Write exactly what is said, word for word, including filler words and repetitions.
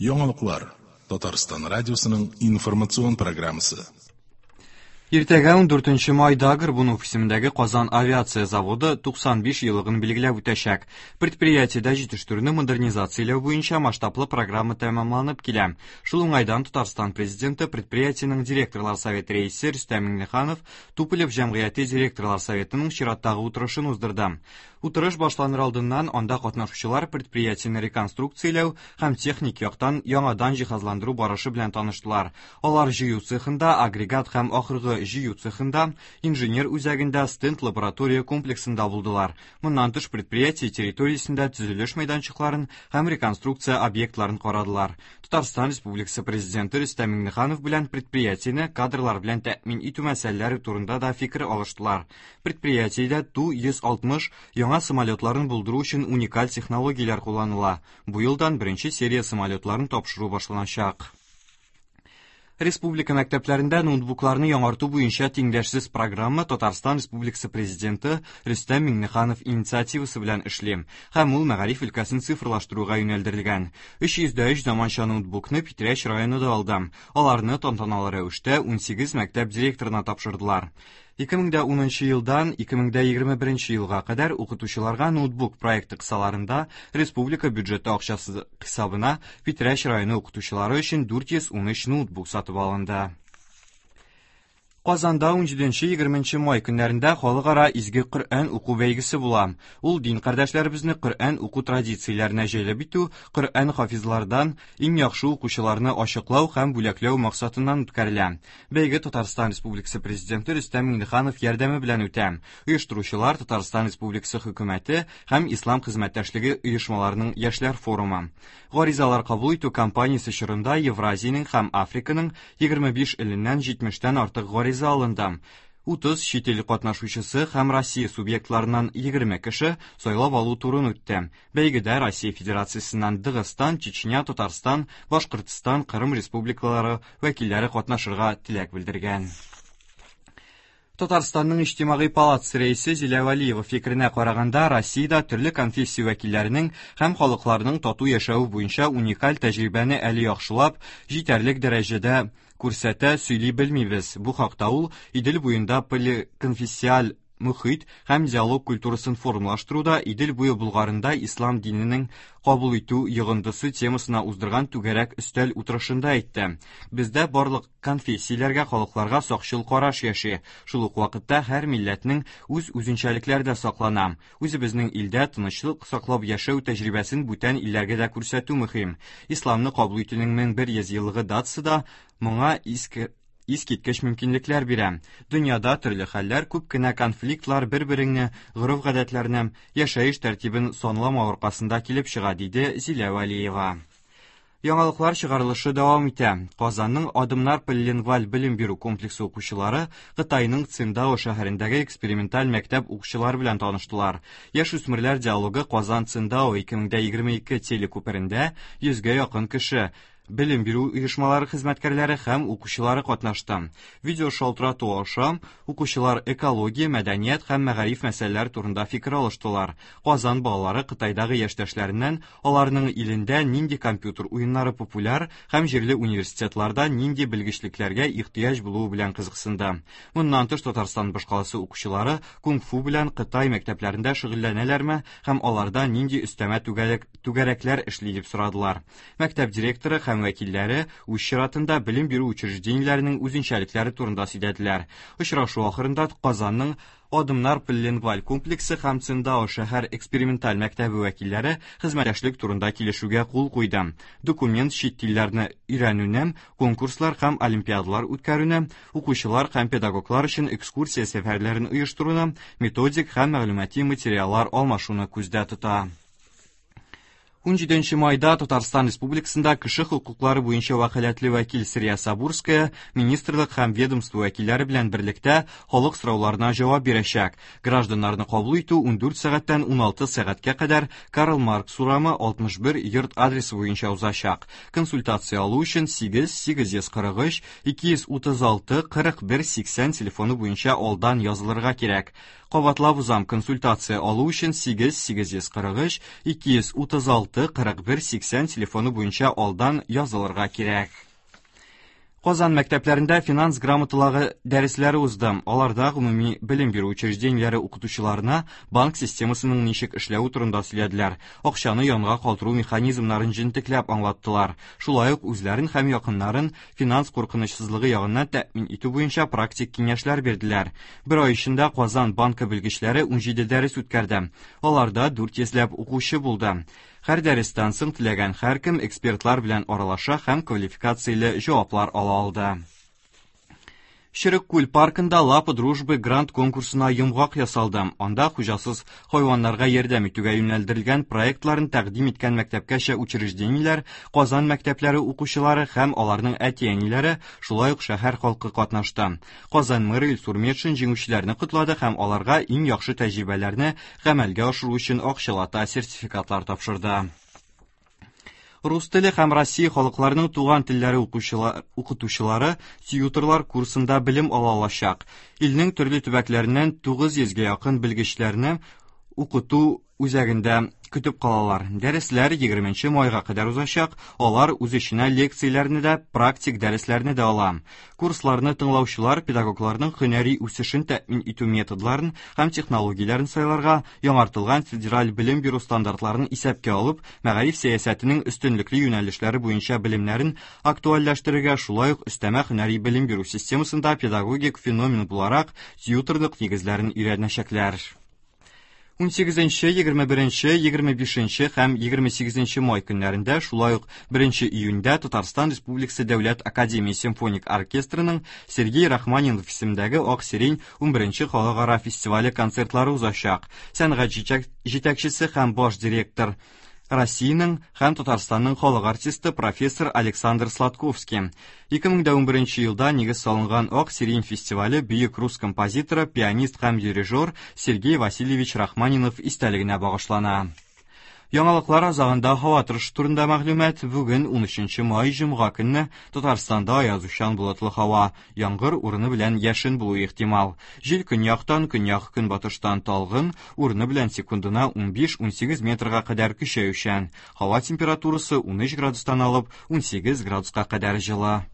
Яңалыклар Татарстан радиосының информацион программасы. Иртәгә ундүртенче майда Горбунов исемендәге Казан авиация заводы туксан биш еллыгын билгеләп үтәчәк. Предприятиедә җитештерүне модернизацияләү буенча масштаблы программа тәмамланып килә. Шул уңайдан Татарстан президенты предприятиенең директорлар советы рәисе Рөстәм Миңнеханов Туполев җәмгыяте директорлар советының чираттагы утырышын уздырды. Утырыш башланыр алдыннан анда катнашучылар предприятиене реконструкцияләү һәм техник яктан яңадан җиһазландыру барышы белән таныштылар. Алар җыю цехында, агрегат һәм ахыргы җыю цехында, инженер үзәгендә, стенд лаборатория комплексында булдылар. Моннан тыш предприятие территориясендә төзелеш мәйданчыкларын һәм реконструкция объектларын карадылар. Татарстан Республикасы президенты Рөстәм Миңнеханов белән предприятиене кадрлар белән тәэмин итү мәсьәләләре турында да фикер алыштылар. Предприятиедә Ту йөз алтмыш яңа самолетларын булдыру өчен уникаль технологияләр кулланыла. Бу елдан беренче серия самолетларын тапшыру башланачак. Республика мәктәпләрендә ноутбукларны яңарту буенча тиңдәшсез программа Татарстан Республикасы президенты Рөстәм Миңнеханов инициативасы белән эшли. Һәм ул мәгариф өлкәсен цифрлаштыруга юнәлдерелгән. Өч йөз дә өч заманча ноутбукны Питрәч районы да алды. Аларны тантаналы рәвештә унсигез мәктәп директорына тапшырдылар. Ике мең дә унынчы елдан ике мең дә егерме беренче елга кадәр укытучыларга ноутбук проекты кысаларында республика бюджеты акчасы хисабына Питрәч районы укытучылары өчен дүрт йөз унөч ноутбук сатып алынды. Казанда унҗиденче егерменче май көннәрендә халыкара изге Коръән уку бәйгесе була. Ул дин кардәшләребезне Коръән уку традицияләренә җәлеп итү, Коръән хафизлардан иң яхшы укучыларны ачыклау һәм бүләкләү максатыннан үткәрелә. Бәйге Татарстан Республикасы президенты Рөстәм Миңнеханов ярдәме белән үтә. Оештыручылар Татарстан Республикасы хөкүмәте һәм Ислам хезмәттәшлеге оешмаларының яшьләр форумы. Гаризалар кабул итү кампаниясе чорында Евразиянең һәм Африканың егерме биш иленнән җитмештән артык гариза алынды. Утыз чит ил катнашучысы һәм Россия субъектларыннан егерме кеше сайлап алу турын үтте. Бәйгедә Россия Федерациясеннән Дагыстан, Чечня, Татарстан, Башкортстан, Кырым республикалары вәкилләре катнашырга теләк белдергән. Татарстанның Иҗтимагый палатасы рәисе Зилә Вәлиева фикеренә караганда, Россиядә төрле конфессия вәкилләренең һәм халыкларның тату яшәве буенча уникаль тәҗрибәне әле яхшылап, җитәрлек дәрәҗәдә күрсәтә, сөйли белмибез. Бу хакта ул Идел буенда поликонфессиаль мөхит һәм диалог культурасын формалаштыруда Идел буе Булгарында ислам диненең кабул итү йогынтысы темасына уздырган түгәрәк өстәл утырышында әйтте. Бездә барлык конфессияләргә, халыкларга сакчыл караш яши. Шул ук вакытта һәр милләтнең үз үзенчәлекләре дә саклана. Үзебезнең илдә тынычлык саклап яшәү тәҗрибәсен бүтән илләргә дә күрсәтү мөһим. Исламны кабул итүнең мең бер йөз еллыгы датасы да моңа иске искиткеч мөмкинлекләр бирә. Дөньяда төрле хәлләр, күп кенә конфликтлар бер-береңне, гореф-гадәтләрне, яшәеш тәртибен санламау аркасында килеп чыга, диде Зилә Вәлиева. Яңалыклар чыгарылышы дәвам итә. Казанның Адымнар полилингваль белем бирү комплексы укучылары Кытайның Циндао шәһәрендәге эксперименталь мәктәп укучылары белән таныштылар. Яшь үсмерләр диалогы Казан Циндао ике мең дә егерме ике телекүперендә йөзгә якын кеше, белем бирү оешмалары хезмәткәрләре һәм укучылары катнашты. Видео шалтырату аша укучылар экология, мәдәният һәм мәгариф мәсьәләләре турында фикер алыштылар. Казан балалары Кытайдагы яшьтәшләреннән аларның илендә нинди компьютер уеннары популяр һәм җирле университетларда нинди белгечлекләргә ихтыяҗ булуы белән кызыксынды. Моннан тыш Татарстан башкаласы укучылары кунг-фу белән Кытай мәктәпләрендә шөгыльләнәләрме һәм аларда нинди өстәмә түгәрәк, түгәрәкләр эшли дип сорадылар. Мәктәп директоры һәм вәкилләре үз чиратында белем бирү учреждениеләренең үзенчәлекләре турында сөйләделәр. Очрашу ахырында Казанның Адымнар полилингваль комплексы һәм Циндао шәһәр эксперименталь мәктәбе вәкилләре хезмәттәшлек турында килешүгә кул куйды. Документ чит телләрне өйрәнүне, конкурслар һәм олимпиадалар үткәрүне, укучылар һәм педагоглар өчен экскурсия сәфәрләрен оештыруны, методик һәм мәгълүмати материаллар алмашуны күздә тота. Унҗиденче майда Татарстан Республикасында кеше хокуклары буенча вәкаләтле вәкил Сәрия Сабурская министрлык һәм ведомство вәкилләре белән берлектә халык сорауларына җавап бирәчәк. Гражданнарны кабул итү ундүрт сәгатьтән уналты сәгатькә кадәр Карл Маркс урамы алтмыш бер йорт адресы буенча узачак. Консультация алу өчен сигез сигез йөз кырык өч ике йөз утыз алты кырык бер сиксән телефоны буенча алдан язылырга кирәк. Кабатлап узам, консультация алу өчен сигез сигез йөз кырык өч ике йөз утыз алты алты кырык бер сиксән телефоны буенча алдан язылырга кирәк. Казан мәктәпләрендә финанс грамоталары дәресләре узды. Аларда гомуми белем бирү учреждениеләре укытучыларына банк системасының ничек эшләве турында сөйләделәр. Акчаны янга калдыру механизмнарын җентекләп аңлаттылар. Шулай ук үзләрен һәм якыннарын финанс куркынычсызлыгы ягыннан тәэмин итү буенча практик киңәшләр бирделәр. Бер ай эчендә Казан банкы белгечләре унҗиде дәрес үткәрде. Аларда дүрт йөзләп укучы булды. Һәр дәрестән соң теләгән һәркем экспертлар белән аралаша һәм квалификацияле җаваплар ала алды. Черек-Күл паркында Лапа дружбы грант конкурсына йомгак ясалды. Анда хуҗасыз хайваннарга ярдәм итүгә юнәлдерелгән проектларын тәкъдим иткән мәктәпкәчә учреждениеләр, Казан мәктәпләре укучылары һәм аларның әти-әниләре, шулай ук шәһәр халкы катнашты. Казан мэры Илсур Метшин җиңүчеләрне котлады һәм аларга иң яхшы тәҗрибәләрне гамәлгә ашыру өчен акчалата сертификатлар тапшырды. Рус теле һәм Россия халыкларының туган телләре укытучылары тьюторлар курсында белем ала алачак. Илнең төрле төбәкләреннән тугыз йөзгә якын белгечләрне укыту үзәгендә көтеп калалар. Дәресләр егерменче майга кадәр узачак. Алар үз эченә лекцияләрне дә, практик дәресләрне дә ала. Курсларны тыңлаучылар педагогларның һөнәри үсешен тәэмин итү методларын һәм технологияләрен сайларга, яңартылган федераль белем бирү стандартларын исәпкә алып, мәгариф сәясәтенең өстенлекле юнәлешләре буенча белемнәрен актуальләштерергә, шулай ук өстәмә һөнәри белем бирү системасында педагогик феномен буларак тьюторлык нигезләрен өйрәнәчәкләр. Унсигезенче, егерме беренче, егерме бишенче һәм егерме сигезенче май көннәрендә, шулай ук беренче июньдә Татарстан Республикасы Дәүләт академия симфоник оркестрының Сергей Рахманинов исемендәге Ак сирень унберенче халыкара фестивале концертлары узачак. Сәнгать җитәкчесе һәм баш директор Россиянең һәм Татарстанның халык артисты профессор Александр Сладковский. ике мең дә унберенче елда нигез салынган Ак сирень фестивале бөек рус композиторы, пианист һәм дирижер Сергей Васильевич Рахманинов истәлегенә багышлана. Яңалыклар азагында һава торышы турында мәгълүмат. Бүген унөченче май җомга көнне Татарстанда аязучан болытлы һава, яңгыр урыны белән яшен булуы ихтимал. Җил көньяктан, көньяк көнбатыштан талгын, урыны белән секундына унбиш-унсигез метрга кадәр көчәючән. Һава температурасы унөч градустан алып унсигез градуска кадәр җылы.